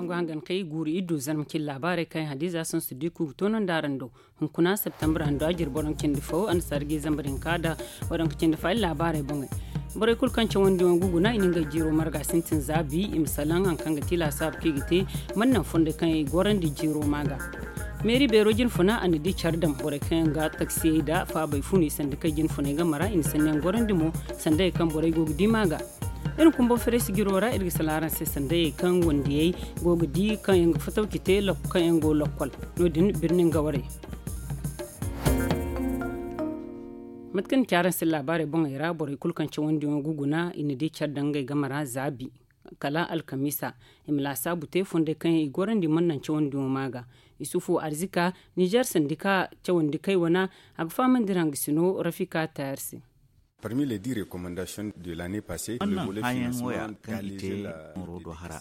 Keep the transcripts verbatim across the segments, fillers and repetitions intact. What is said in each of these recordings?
Ga hangan kay guuru iddu zarma cin laabaarey kaŋ hadiza sansu diku ga toonandi araŋ do. Hunkuna septembre hando a jiri boro cindi fo annasaari ga zambarin ka da waranka cindi fo ay laabaarey boŋey. Borey kulu kaŋ cawandi yaŋ ga guna i na ngey jiiro marga sintin za bi i ma salaŋ hari kaŋ ga ti laasaabu kaŋ i ga te. Man naŋ fondey kaŋ i gorandi jiiro ma ga meeri beero jinfuna a na di care daŋ borey kaŋ yaŋ ga taksiyey da faabey funu i sanda kay jinfuney game ra i na sanniyaŋ gorandi mo. Sandayey kaŋ borey go ga di ma ga iri kumbo fereesi jiro ra iri ga salaŋ araŋ se sandayey kaŋ wandiyey go ga di kaŋ yaŋ ga fataw ci te kaŋ yaŋ go lokkol. No- din birnin gawarey mate kaŋ ni ci araŋ se laabaarey boŋey ra borey kulu kaŋ cawandiyaŋo ga guna i na di care daŋ ngey game ra zaabi kala alkamiisa. I ma laasaabu te fondey kaŋ yaŋ i gorandi mana naŋ cawandiyaŋo ma ga. Isufu arzika nizer sandika cawandi kay wana a ga fahamandi raŋ ga sino rafika tayar se. Parmi les dix recommandations de l'année passée le volet financement kaŋ i te nooro do hara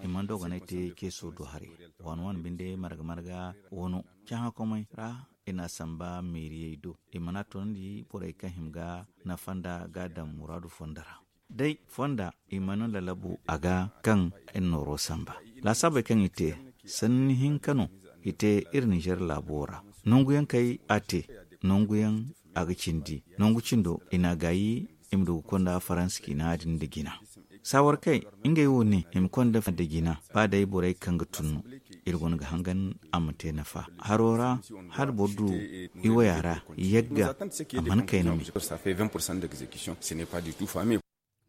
i mana dogonay te ceeso do haray. Waani waani binde marga marga wano cahãkomey ra i na a samba meeriyey do i mana a toonandi borey kaŋ hima ga nafa nda ga a daŋ muraadu fonda ra. Day fonda i mana lalabu a ga kaŋ iri nooro samba laasaabey kaŋ i te sanni hinka no i te iri nizer laabo ra. Nangu yaŋ kay a te nangu yaŋ a ga cindi nangu cindo i na a gaayi i ma du ga konda faransa ciina din nda jina. Saawar kay ngey wo ne i ma konda nda jina ba day borey kaŋ ga tun no. Iri go no ga hangan a ma te nafa haro ra hala boro du i waya ra yagga a mana kayna me.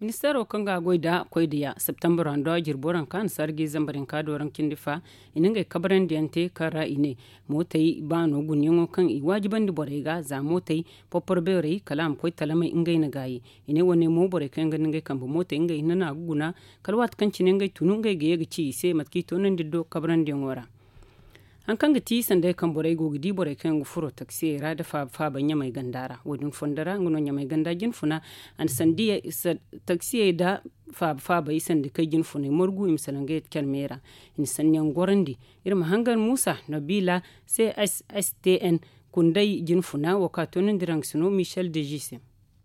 Ministeero kaŋ ga a goy nda koy da ya septembre ra nda jirbo ra kaŋ a na sarji zambar hinka do raŋ cindi fa i na ngey kabrandi yaŋ te kaŋ ra i ne mootey baano guna yaŋo kaŋ i waajibandi borey ga za mootey porporo beerey kala a ma koy talamey ngey na gaayi. I ne wane mo borey kaŋ yaŋ ga nda ngey kambe mootey ngey hinne no a ga guna kala waati kaŋ cine ngey tunu ngey ga ye ga ci i se mate kaŋ i toonandi do kabrandi yaŋo ra. Hari kaŋ ga ti sanday kaŋ borey go ga di borey kaŋ yaŋ ga furo taksiyey ra nda faaba faaba ɲamay ganda ra wo- din fondo ra nga no ɲamay ganda jinfuna a na sandiyey taksiyey nda faaba faabey sandi kay jinfuney margu i ma salaŋ ga yeti care me ra. I na sanniyaŋ gorandi. Iri ma hangan muusa nobila c s s t n kunday jinfuna wo kaŋ a toonandi raŋ ga sino michel deji se.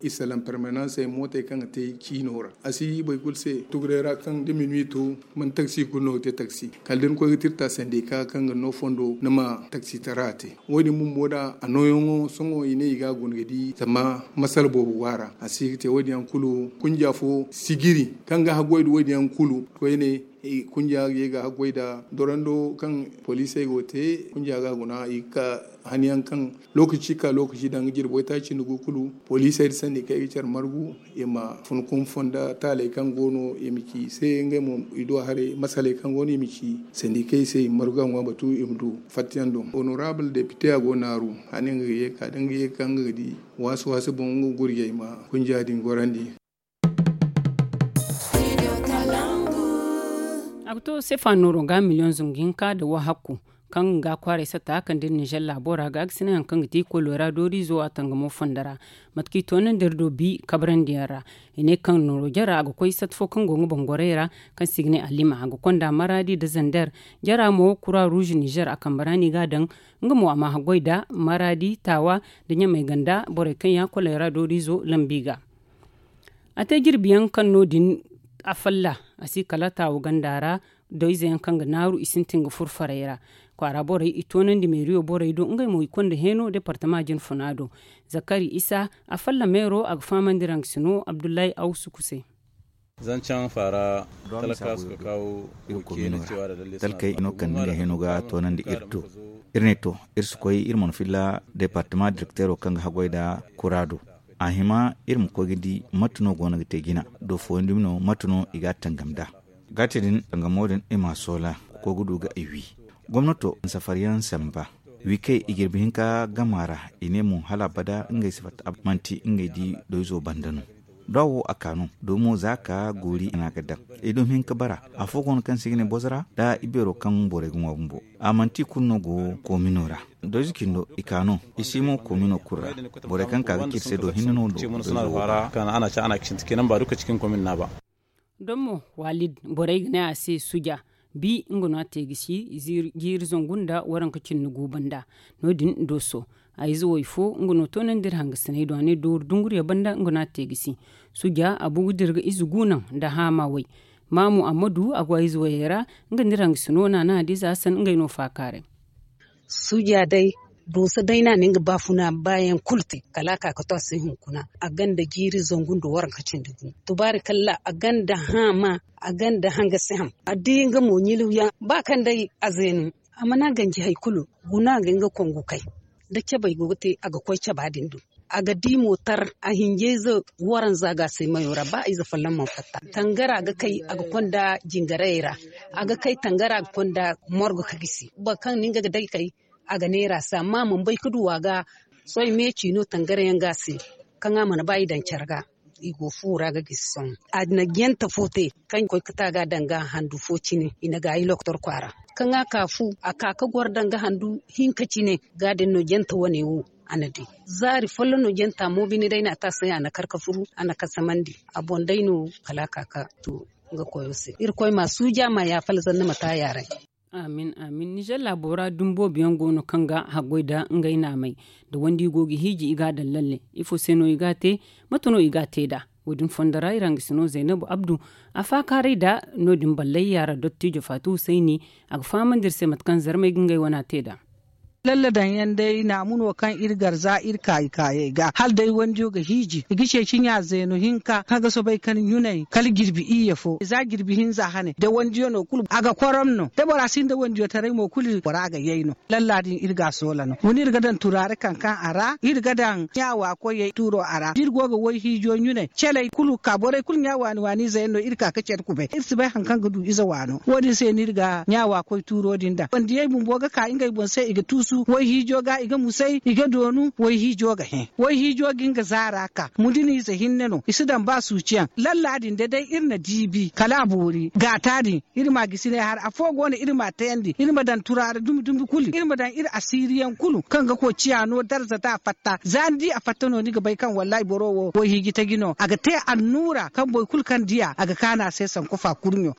I salaŋ permanansey mootey kaŋ ga te ciino ra a si boro kulu se tuguray ra kaŋ da minuwi to mana taksi kulu no ga te taksi kala da ni koy ga tirta sandika kaŋ ga no fondo ni ma taksitara te. Wo- din bumbo da a nooyaŋo sohõ i ne i ga a guna ga di zama masala boobo go a ra a si ga te wo- din yaŋ kulu kunja fo sijiri kaŋ ga haggoy nda wo- din yaŋ kulu koyne. Kunja ga ye ga haggoy nda dorando kaŋ poliisey go ga te kunja ga a guna i ga ka hani yaŋ kaŋ lookaci ka lookaci daŋ ga jirbi waytaaci nda gu kulu poliisey nda sandikey ga care margu i ma fun kunfo nda taaley kaŋ go no i ma ci i se ngey mo i du haray masaley kaŋ go no i ma ci sandikey se i ma margu a ŋwa batu i ma du fattayaŋ do. Honorable depite a go naaru hani nga ga ye ga ka da nga ye ga ka nga ga di waasu waasu boŋ nga ga gurjey ma kunja din gorandi. A ga to sefa nooro ga miliyoŋ zungu hinka nda wahakku kaŋ ga kwaaray satta kande nizer laabo ra ga a ga sina hari kaŋ ga ti kolora dooriizo a tangamo fondo ra. Mate kaŋ i toonandi iri do bi kabrandi yaŋ ra i ne kaŋ nooro jara a ga koy satta fo kaŋ go nga boŋ gorey ra kaŋ se i ga ne alima a ga konda maraadi nda zander. Jara mo kura ruuz nizer a kambe ra no i ga a daŋ. Nga mo a ma haggoy nda maraadi taawa nda ɲamay ganda borey kaŋ ya kolora dooriizo lambi ga. A te jirbi yaŋ kaŋ no- din a falla a si kala taawu ganda ra. Doyze yaŋ kaŋ ga naaru i sintin ga furo farey ra kwaara borey i toonandi meeriyo borey do ngey mo i konda heeno departama jinfuna do. Zakari isa a falla meero a ga fahamandi raŋ ga sino abdullahi awsu kuse. Zancaŋ faara talka suka kawo iri komino ra talkey no kande nga heeno ga toonandi iri do. Iri ne to iri si koy iri mana filla departama direkteero kaŋ ga haggoy nda kura do. A hima iri ma koy ga di mate no go no ga te jina do fooyaŋ dumi no mate no i ga a tangam nd'a. Ga te din tangamo din i m'a soola ga koy ga du ga i wi. Gomnato na safariyaŋ samba wi kay i jirbi hinka gama ra. I ne mo hala abada ngey si fatta manti ngey di doyzo banda no. Da wo a ka no domo za ka goori a na ga daŋ i dumi hinka bara. Afo go no kaŋ se i ga ne bozo ra da ibeero kaŋ borey ga ŋwa bumbo. A manti i kulu no go koomino ra. Doyze cindo i ka no i si mo koomino kulu ra. Borey kaŋ ka ga ci iri se do hinne no do. Doyze wo ra. Kaŋ a na ci a na kisinti kenan ba duka cikin komin na ba. Don mo walid borey ga ne a se suja bi nga no a te ga si jiiri zangu nda waranka cindi gu banda. No- din dooso a ize way fo nga no toonandi iri hangasiney do a ne dooru dunguriya banda nga no a te ga si. Suja a bu ga dira ga ize gu naŋ nda haama way. Maamu ammadu a go a ize wayey ra. Nga nda iri hangasino naana hadiza hasan ngey no faakaaray. Suuja day, duusa day no a na nga baafuna baayaŋ kulu te kala a ka ga to a se hunkuna. A gonda jiiri zangu nda waranka cindi gu. Tubaari kalla a gonda haama. A gonda hangasi ham a di nga mo ɲiluyaŋ ba kaŋ day a zeenu. A mana ganji hari kulu. Guna a ga nga kongu kay da cabey go ga te a ga koy caba din do. A ga di mootar a hinjayze waranza ga a se mayo ra ba ize folloŋ mana fatta. Tangara ga kay a ga konda jingarayey ra. A ga kay tangara ga konda morgo ka gisi boro kaŋ no nga ga day kay. A ga neera se amma a mana bay ga du a ga. Sohõ meeci no tangara yaŋ ga a se kaŋ a mana ba i daŋ care ga. I go fu ra ga gisi sohõ a na jante fo te kaŋ koy ga ta ga a daŋ ga handu fo cine i na gaayi loktor kwaara. Kaŋ a ka fu a ka ga goro daŋ ga handu hinka cine. Ga din no jante wane wo a na di zaari folloŋ no janta mo bine day no a te a se a na kar ga furu a na kasamandi. A boŋ day no kala a ka ga to nga koyo se irkoy ma suuja ma yaafa alzanna ma te a yaaray. Amin amin nizer laabo ra dumbo biyaŋ go no kaŋ ga haggoy nda ngey naamey. Da wandi i go ga hiiji i ga a daŋ lalle. Ifo se no i ga a te? Mate no i ga a te nd'a? Wo- din fondo ra iri hangasino zaynabu abdu a faakaaray nd'a. No- din ballay yaara dottijo faati husayni a ga fahamandi iri se mate kaŋ zarmey ga ngey wana te nd'a. Lalle daŋ yaŋ day naamu no kaŋ iri gar za iri kaayi kaayey ga hala day wandiyo ga hiiji i ga ceeci ɲa zeeno hinka kaŋ ga soobay ka ni ɲunay kala jirbi iyye fo za jirbi hinza hane da wandiyo no kulu a ga korom no da bora sinda wandiyo taray mo kulu bora ga yay no. Lalla din iri ga a soola no wa ne iri ga daŋ turaare kaŋ kaŋ a ra iri ga daŋ ɲaawa koyey tuuro a ra da iri go ga wayhiijo ɲunay caley kulu ka borey kulu ɲa waani waani ize yaŋ no iri ka ga care kubay iri si bay hari kaŋ ga du ize waano wo- din se no iri ga ɲaawa koy tuuro din daŋ wandiyey bumbo ga ka ngey boŋ se i ga tuusu wayhiijo ga i ga musay i ga doonu wayhiijo ga hẽ wayhiijo ga nga zaara ka muduniize hinne no i si daŋ ba suuciyaŋ lalla din da day iri na diibi kala a boori gaata din. Iri ma gisi ne har afo go no iri ma tayandi iri ma daŋ turaara dumi dumi kulu iri ma daŋ iri asiiriyaŋ kulu kaŋ ga koy ciya no darza da a fatta za ni di a fatta no ni ga bay kaŋ wallahi boro wo wayhiiji taji no a ga te annuura kaŋ boro kulu kaŋ di a a ga kaanu a se sanku fa kurɲo.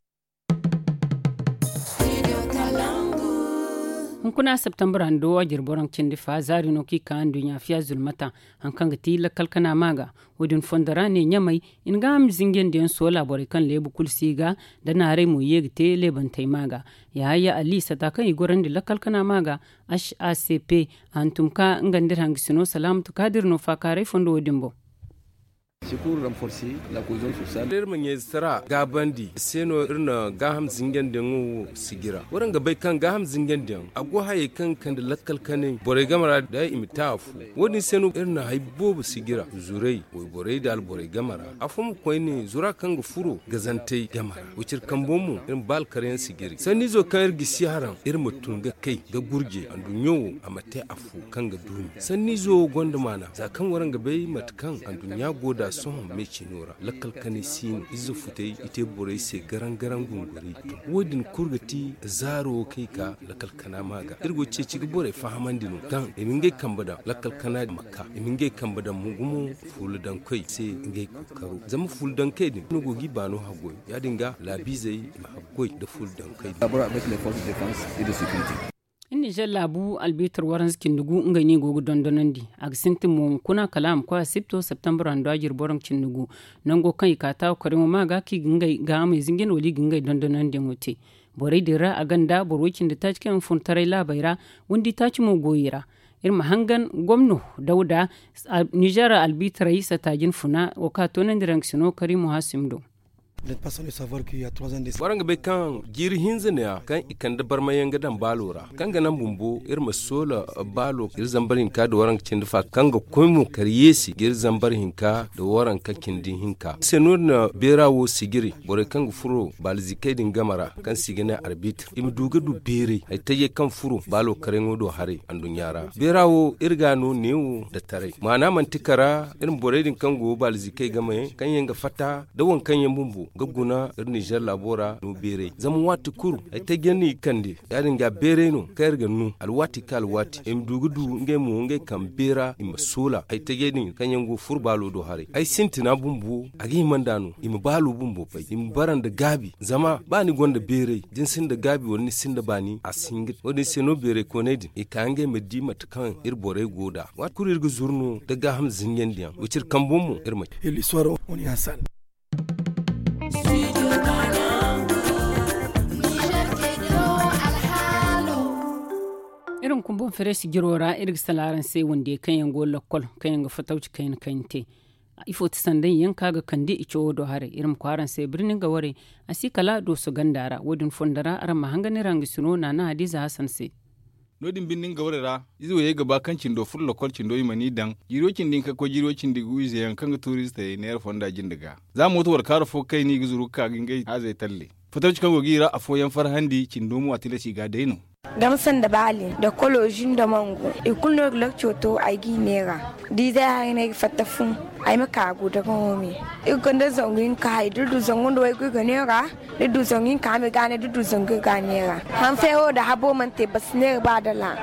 Hunkuna septembre hando a jire boro cindi fa zaari no kaŋ i ka nduɲɲa fiya zulmata. Hari kaŋ ga ti lakkal kana ma ga wo- din fondo ra ne ɲamay i na gaaham zinjandi yaŋ soola borey kaŋ leebu kulu si ga nda naaray mo ye ga te leebantey ma ga. Yahaya ali sata kaŋ i gorandi lakkal kana ma ga h a c p a hantum ka nga nda iri hangasino salaamatu kaadir no faakaaray fondo wo- din boŋ. Iri ma ɲayze tara gaabandi se no iri na gaaham zinjandiyaŋo wo sijira waranka bay kaŋ gaaham zinjandiyaŋ a go hayey kaŋ ga kande lakkal kanay borey game ra da i ma te afo. Wo- din se no iri na hari boobo sijira zuray wayborey nda alborey game ra afo ma koyne zura kaŋ ga furo gazantey game ra wiciri kambo mo iri ma ba alkaryaŋ sijiri sanniizo kaŋ iri gisi haraŋ iri ma tun ga kay ga gurje anduɲɲo wo a ma te afo kaŋ ga duumi sanniizo wo gonda maana za kaŋ waranka bay mate kaŋ anduɲɲa go nd'a sohõ me cino ra lakkal kanay si no ize futey i te borey se garaŋ garaŋ gunguri. Wo- din kulu ga ti zaaro wo kaŋ i ka lakkal kana ma ga iri go ga ceeci ga borey fahamandi no kaŋ i ma ngey kambe daŋ lakkal kana ma ka i ma ngey kambe daŋ mo gumo fuula daŋ koy se ngey kookaro zama fuula daŋ koy din no go ga i baano haggoy ya- din ga laabiizey i ma haggoy nda fuula daŋ koy din. Iri nizer laabu albiitar waranza cindi gu ngey no i go ga dondonandi a ga sintin mo hunkuna kala a ma koy a sipto septembre hando a jire boro cindi gu nango kaŋ i ka taawa kariŋo ma ga kaŋ i ga ngey gaahamey zinjin wala i ga ngey dondonandiyaŋo te. Borey din ra a gonda boro woy cindi taaci kaŋ yaŋ fun taray laabey ra windi taaci mo go i ra. Iri ma hangan gomno dawda nizer albiitaray sata jine funa wo kaŋ a toonandi ranksino kariimo hasim do. Boro nga bay kaŋ jiiri hinza ne- ya kaŋ i kande barmayaŋ ga daŋ baalo ra kaŋ ga naŋ bumbo iri ma soola baalo iri zambar hinka nda waranka cindi fa kaŋ ga koy mo kar yeesi ga iri zambar hinka nda waranka cindi hinka se no- din na beera wo sijiri borey kaŋ ga furo baalizikey din game ra kaŋ se i ga ne arbitre i ma du ga du beeray hari tajey kaŋ furo baalo karayaŋo do haray anduɲɲa ra. Beera wo iri ga no neewo nda taray maana manti kara iri ma borey din kaŋ go baalizikey game kaŋ yaŋ ga fatta nda waŋ kaŋ yaŋ bumbo ga guna iri nizer laabo ra no beeray zama waati kulu hari tajey no i ga kande ya- din ga beeray no kaŋ iri ga no alwaati ka alwaati i ma du ga du ngey mo ngey kaŋ beera i ma soola hari tajey din kaŋ yaŋ go ga furo baalo do haray ay sintina bumbo a ga hima nd'a no i ma baalo bumbo bay i ma bara nda gaabi zama ba ni gonda beeray da ni sinda gaabi wala ni sinda baani a si hin ga te wo- din se no beeray kooney din i ka ngey ma di mate kaŋ iri borey go nd'a waati kulu iri ga zuru no nda gaaham zinjandiyaŋ wiciri kambo mo iri ma. Iri liswaro wani ya sal. Iri ma kumbu fereesi jiro ra iri ga sala araŋ se wandiyey kaŋ yaŋ go lakkol kaŋ yaŋ ga fatawci kayna kaŋ yaŋ te. Ifo ti sanday yaŋ kaŋ a ga kande i cawo do haray iri ma koy araŋ se birni nga warey. A si kala dooso ganda ra wo- din fondo ra araŋ ma hangan iri hangasino naana hadiza hasan se. No- din birni nga warey ra ize wayey ga ba kaŋ cindo furo lakkol cindo i mana i daŋ jiiri way cindi hinka ga koy jiiri way cindi gu ize yaŋ kaŋ ga tuuri ize tayey neera fonda jinde ga. Za mooto warkaaro fo kayna i ga zuru ga ka ga ngey haazey talle. Fatawci kaŋ go ga i ra afooyaŋ farhandi cindo mo a tilas i ga a day no. Dama sanda baali da kolozi nda mangu i kulu no ga lakco to ay g'i neera. Da izey haray no ay ga fatta fu ay ma ka ga daga home. Iri gonda zangu hinka hay da iri du zangu nda waygu iri ga neera. Da iri du zangu hinka hame ga ne da iri du zangu iri ga neera. Hanfeero da habo mana te basi neera ba dala.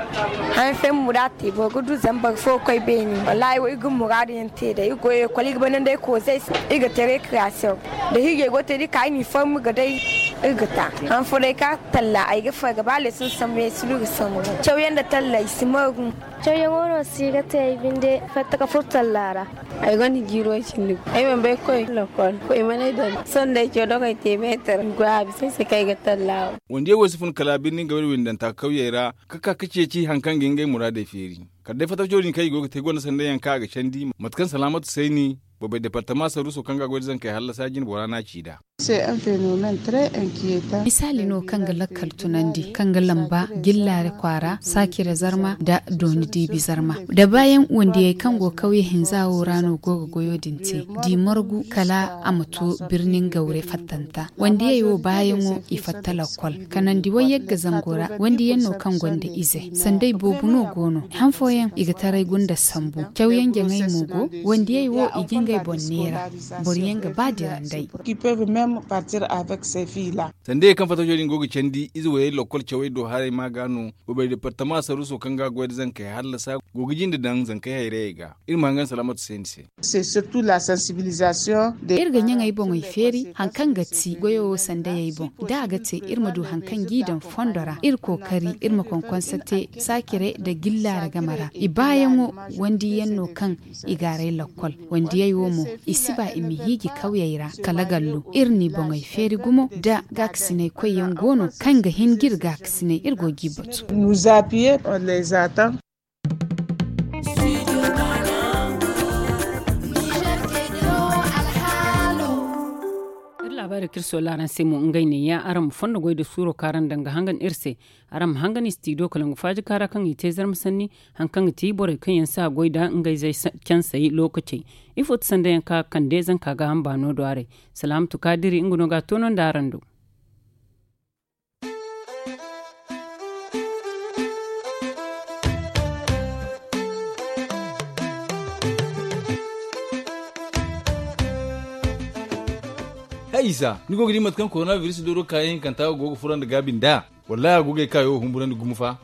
Hanfeero mo da a te boro ga du zama boro fo ga koy beeni wallahi wo iri ga muraadu yaŋ te day iri go ekol iri ga banda nda ay koozey se. Iri ga te rekriyasiyoŋ da hirjey go ga te da iri ka iri n'i formi ga day. Iri ga ta han fo day ka talla ay ga farga ba leeson sambu yaŋ ay si du iri ga sambu cawyaŋ nda talla i si margu. Cawyaŋo no si ga te ay binde fatta ka furo talla ra. Ay gonda jiiro cindi ay mana bay koy lokol koy mana ay daŋ sohõ day caw dogey te meetar i goy a bisa ay se kaŋ ay ga talla wo. Wandiyey wo si fun kala birni nga wayna windanta kawyey ra ka ka ga ceeci hari kaŋ ga ngey muraadey feeri. Kala day fatawco din kaŋ i go ga te gonda sanday yaŋ kaŋ a ga candi mate kaŋ salaamatu sayni boobay departama saruuso kaŋ ga a goy da zankey hallasa jine bora no a ci nd'a. Misaali no kaŋ ga lakkal tunandi kaŋ ga lamba jillaare kwaara saacire zarma nda dooni diibi zarma da baayaŋ wandiyey kaŋ go kawye hinza wo ra no go ga goyo din te. Di margu kala a ma to birni ngawre fattanta wandiyey wo baayaŋo i fatta lakkol kanandi wayyagga zango ra wandiyaŋ no kaŋ gonda ize sanday boobo no go no han fooyaŋ i ga taray gunda sambu cawyaŋ jaŋay mo go. Wandiyey wo i ga ngey boŋ neera boro yaŋ ga ba dira nd'ey. Sanda ye kaŋ fatajo din go ga candi ize wayey lokkol cawey do haray ma ga no. Bobey departama saruuso kaŋ ga goy da zankey hallasa go ga jinde daŋ zankey hayrayey ga. Iri ma hangan salaamatu se ni se. Iri ga ɲaŋey boŋey feeri hari kaŋ ga ti goyo wo sandayey boŋ da a ga te iri ma du hari kaŋ g'i daŋ fondo ra iri kookari iri ma konkonsa te saacire nda gillaara game ra i baayaŋo wandiyaŋ no kaŋ i gaaray lakkol. Wandiyey wo mo i si ba i ma hiiji kawyey ra kala gallo iri n'i boŋey feeri gumo da gaakasinay koyyaŋ go no kaŋ ga hin ga iri gaakasinay iri go g'i batu. Iri laabaari kaŋ iri soola araŋ se mo ngey neeya araŋ ma fondo goy nda suuro kaŋ araŋ daŋ ga hangan iri se. Araŋ ma hangan istidiyo kalangu faaji kaara kaŋ i te zarma sanni hari kaŋ ga ti borey kaŋ yaŋ si a goy nda ngey zey cansey lookacey. Ifo ti sanda yaŋ kaŋ a kande zanka gaaham baano do haray. Salaamatu kaadiri nga no ga a toonandi araŋ do. Hay isa ni go ga di mate kaŋ korona biris dooro kaayaŋ hinkanta go ga fura nda gaabi nd'a? Wallahi a go ga ay kaayo wo humburandi gumo fa.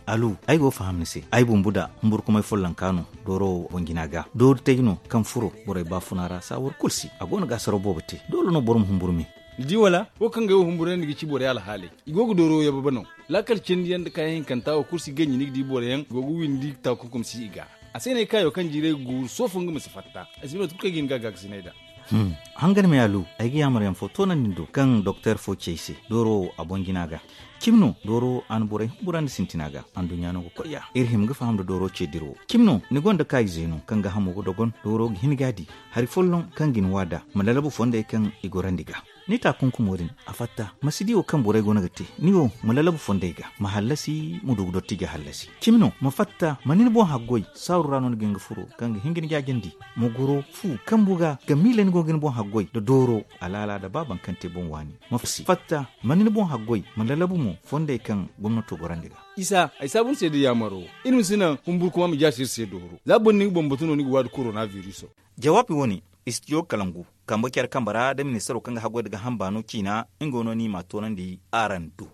Alu, ay go ga faham ni se. Ay bumbu da humburkumay follonka no dooro wo boŋ jina ga doori tay no kaŋ furo borey baafuna ra saawar kulu se a go no ga asaraw boobo te doole no boro ma humburu me. Ni di wala wo kaŋ ga ay wo humburandi ga ci borey alhaaley i go ga dooro wo yababa no. Laakal cindi yaŋ nda kaayaŋ hinkanta wo kulu si ganji ni ga di boro yaŋ i go ga windi taakunkum si i ga. A se no ay kaayo kaŋ jiiray ga guuru soofo nga ma si fatta. Ay si bay mate kulu kaŋ ay ga hin ga a gaakasinay nd'a. Hangan me alu, ay ga yaamar yaŋ fo toonandi ni do kaŋ doktor fo ci ay se dooro wo a boŋ jina ga. Cimi no dooro wo a na borey humburandi sintina ga anduɲɲa no ga koy ya iri hima ga faham nda dooro ce dira wo. Cimi no ni gonda kaayize no kaŋ gaahamo ga dogon dooro ga hin ga a di hari folloŋ kaŋ ga ni wa nd'a ma lalabu fondey kaŋ i gorandi ga. Ni taakunkumo din a fatta ma si di wo kaŋ borey go no ga te. Ni wo ma lalabu fondey ga ma hallasi ma du ga dottijey hallasi. Cimi no ma fatta ma ni ni boŋ haggoy saaru ra no ni ga hin ga furo kaŋ ga hin ga ni jaajandi. Ma goro fu kambu ga ga miila ni go ga ni boŋ haggoy nda dooro alaala nda ba baŋ kaŋ te boŋ waani. Ma fatta ma ni ni boŋ haggoy ma lalabu mo fondey kaŋ gomnato gorandi ga. Isa ay saabu ni se nda yaamaro. Iri ma si naŋ humburkuma ma jaasi iri se dooro za boro ni ga boŋ batu no ni ga waadi korona viriso. Jawaabi wo-ne istidiyo kalangu kambe care kambe ra nda ministaro kaŋ ga haggoy nda gaaham baano ciina. Nga wo no ni m'a toonandi araŋ do.